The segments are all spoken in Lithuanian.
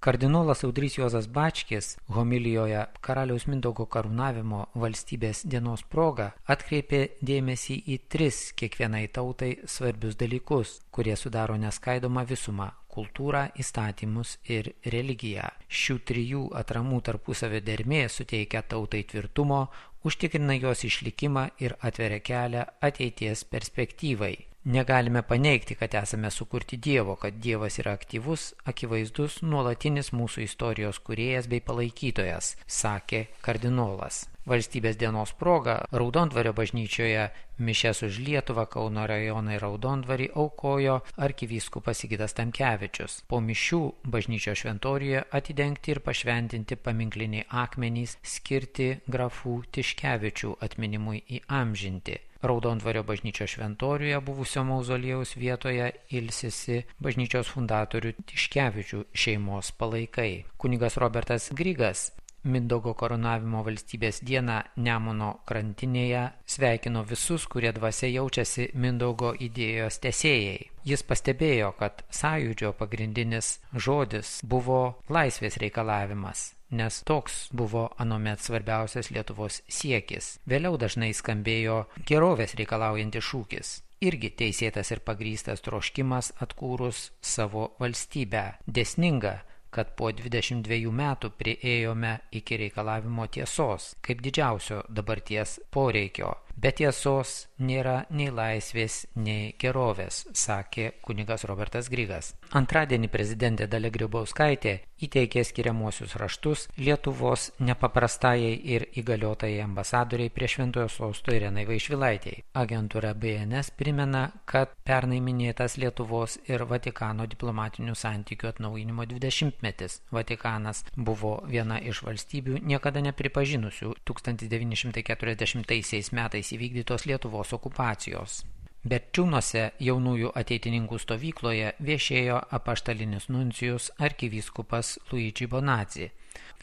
Kardinolas Audrys Juozas Bačkis homilijoje karaliaus Mindaugo karūnavimo valstybės dienos proga atkreipė dėmesį į 3 kiekvienai tautai svarbius dalykus, kurie sudaro neskaidomą visumą – kultūrą, įstatymus ir religiją. Šių 3 atramų tarpusavio dermė suteikia tautai tvirtumo, užtikrina jos išlikimą ir atveria kelią ateities perspektyvai. Negalime paneigti, kad esame sukurti Dievo, kad Dievas yra aktyvus, akivaizdus, nuolatinis mūsų istorijos kūrėjas bei palaikytojas, sakė kardinolas. Valstybės dienos proga Raudondvario bažnyčioje mišias už Lietuvą Kauno rajoną ir Raudondvarį aukojo arkivyskupas Sigitas Tamkevičius. Po mišių bažnyčios šventoriuje atidengti ir pašventinti paminkliniai akmenys skirti grafų Tiškevičių atminimui įamžinti. Raudondvario bažnyčios šventoriuje buvusio mauzoliejaus vietoje ilsisi bažnyčios fundatorių Tiškevičių šeimos palaikai. Kunigas Robertas Grigas Mindaugo karūnavimo valstybės dieną Nemuno krantinėje sveikino visus, kurie dvasia jaučiasi Mindaugo idėjos tęsėjai. Jis pastebėjo, kad sąjūdžio pagrindinis žodis buvo laisvės reikalavimas, nes toks buvo anuomet svarbiausias Lietuvos siekis. Vėliau dažnai skambėjo gerovės reikalaujantis šūkis. Irgi teisėtas ir pagrįstas troškimas atkūrus savo valstybę. Dėsninga, kad po 22 metų priėjome iki reikalavimo tiesos, kaip didžiausio dabarties poreikio. Be tiesos nėra nei laisvės, nei gerovės, sakė kunigas Robertas Grigas. Antradienį prezidentė Dalia Grybauskaitė įteikė skiriamuosius raštus Lietuvos nepaprastajai ir įgaliotajai ambasadoriai prie Šventojo sosto Irenai Vaišvilaitei. Agentūra BNS primena, kad pernai minėtas Lietuvos ir Vatikano diplomatinių santykių atnaujinimo 20-metis. Vatikanas buvo viena iš valstybių niekada nepripažinusių 1940 metais įvykdytos Lietuvos okupacijos. Berčiūnuose jaunųjų ateitininkų stovykloje viešėjo apaštalinis nuncijus arkivyskupas Luigi Bonazzi.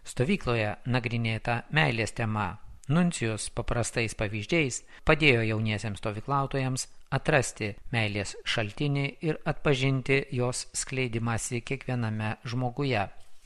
Stovykloje nagrinėta meilės tema. Nuncijus paprastais pavyzdžiais padėjo jauniesiems stovyklautojams atrasti meilės šaltinį ir atpažinti jos skleidimąsi kiekviename žmoguje.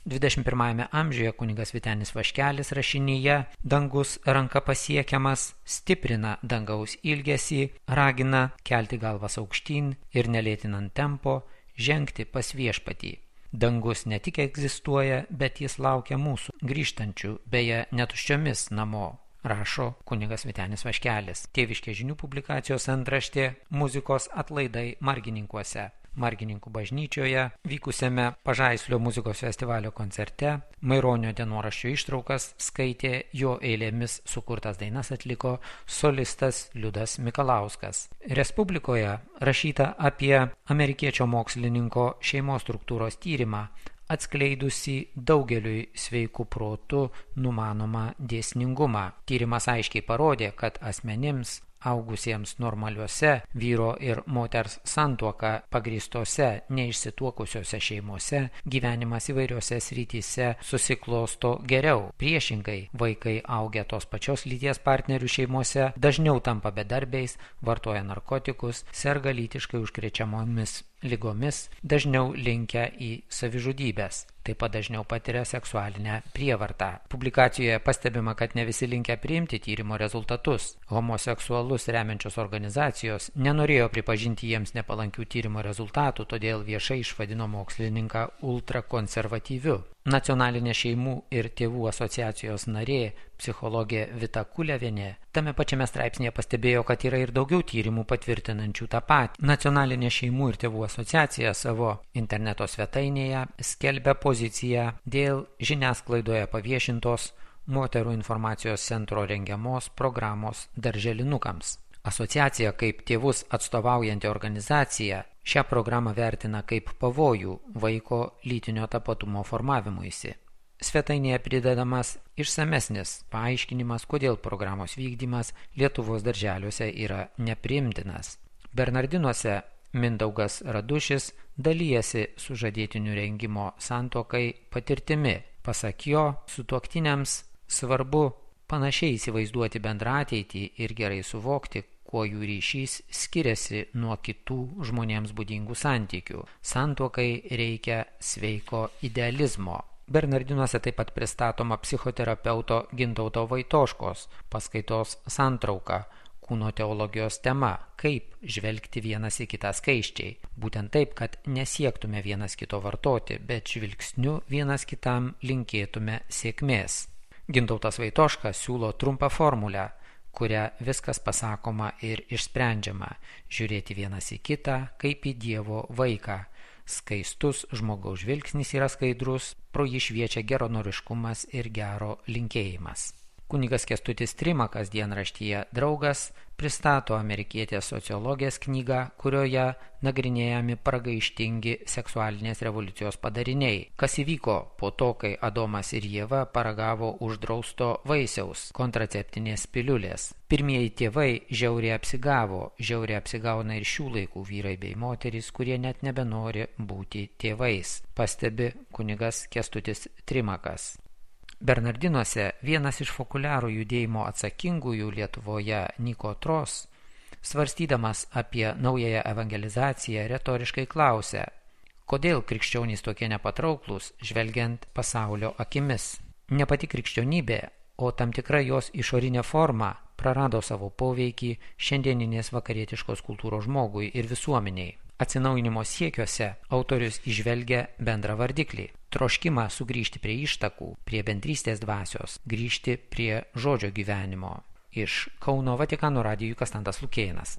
21 amžiuje kunigas Vytenis Vaškelis rašinyje Dangus ranka pasiekiamas stiprina dangaus ilgesį, ragina kelti galvas aukštyn ir nelėtinant tempo žengti pas viešpatį. Dangus ne tik egzistuoja, bet jis laukia mūsų, grįžtančių, beje, netuščiomis namo, rašo kunigas Vytenis Vaškelis. Tėviškė žinių publikacijos antraštė muzikos atlaidai Margininkuose. Margininkų bažnyčioje vykusiame Pažaislio muzikos festivalio koncerte Maironio dienoraščio ištraukas skaitė, jo eilėmis sukurtas dainas atliko solistas Liudas Mikalauskas. Respublikoje rašyta apie amerikiečio mokslininko šeimos struktūros tyrimą, atskleidusi daugeliui sveikų protų numanomą dėsningumą. Tyrimas aiškiai parodė, kad asmenims augusiems normaliuose vyro ir moters santuoka pagrįstose neišsituokusiose šeimose gyvenimas įvairiose srityse susiklosto geriau. Priešingai, vaikai augę tos pačios lyties partnerių šeimose dažniau tampa bedarbiais, vartoja narkotikus, serga lytiškai užkrečiamomis ligomis, dažniau linkę į savižudybės. Taip pat dažniau patiria seksualinę prievartą. Publikacijoje pastebima, kad ne visi linkę priimti tyrimo rezultatus. Homoseksualus remiančios organizacijos nenorėjo pripažinti jiems nepalankių tyrimo rezultatų, todėl viešai išvadino mokslininką ultrakonservatyviu. Nacionalinė šeimų ir tėvų asociacijos narė, psichologė Vita Kulevienė, tame pačiame straipsnėje pastebėjo, kad yra ir daugiau tyrimų patvirtinančių tą patį. Nacionalinė šeimų ir tėvų asociacija savo interneto svetainėje skelbia poziciją dėl žiniasklaidoje paviešintos moterų informacijos centro rengiamos programos darželinukams. Asociacija kaip tėvus atstovaujanti organizacija šią programą vertina kaip pavojų vaiko lytinio tapatumo formavimuisi. Svetainėje pridedamas išsamesnis paaiškinimas, kodėl programos vykdymas Lietuvos darželiuose yra nepriimtinas. Bernardinuose Mindaugas Radušis dalijasi sužadėtinių rengimo santuokai patirtimi. Pasak jo, sutuoktiniams svarbu panašiai įsivaizduoti bendrą ateitį ir gerai suvokti, kuo jų ryšys skiriasi nuo kitų žmonėms būdingų santykių. Santuokai reikia sveiko idealizmo. Bernardinuose taip pat pristatoma psichoterapeuto Gintauto Vaitoškos paskaitos santrauka kūno teologijos tema, kaip žvelgti vienas į kitą skaisčiai. Būtent taip, kad nesiektume vienas kito vartoti, bet žvilgsniu vienas kitam linkėtume sėkmės. Gintautas Vaitoška siūlo trumpą formulę, kuria viskas pasakoma ir išsprendžiama – žiūrėti vienas į kitą kaip į Dievo vaiką. Skaistus žmogaus žvilgsnis yra skaidrus, pro jį šviečia geranoriškumas ir gero linkėjimas. Kunigas Kęstutis Trimakas dienraštyje Draugas pristato amerikietės sociologės knygą, kurioje nagrinėjami pragaištingi seksualinės revoliucijos padariniai. Kas įvyko po to, kai Adomas ir Ieva paragavo uždrausto vaisiaus, kontraceptinės piliulės. Pirmieji tėvai žiauriai apsigauna ir šių laikų vyrai bei moterys, kurie net nebenori būti tėvais, pastebi kunigas Kęstutis Trimakas. Bernardinuose vienas iš fokuliarų judėjimo atsakingųjų Lietuvoje Niko Tros, svarstydamas apie naująją evangelizaciją, retoriškai klausė, kodėl krikščionys tokie nepatrauklūs, žvelgiant pasaulio akimis. Ne pati krikščionybė, o tam tikra jos išorinė forma prarado savo poveikį šiandieninės vakarietiškos kultūros žmogui ir visuomeniai. Atsinaujinimo siekiuose autorius įžvelgia bendrą vardiklį – troškimą sugrįžti prie ištakų, prie bendrystės dvasios, grįžti prie žodžio gyvenimo. Iš Kauno Vatikano radijui Kastantas Lukėnas.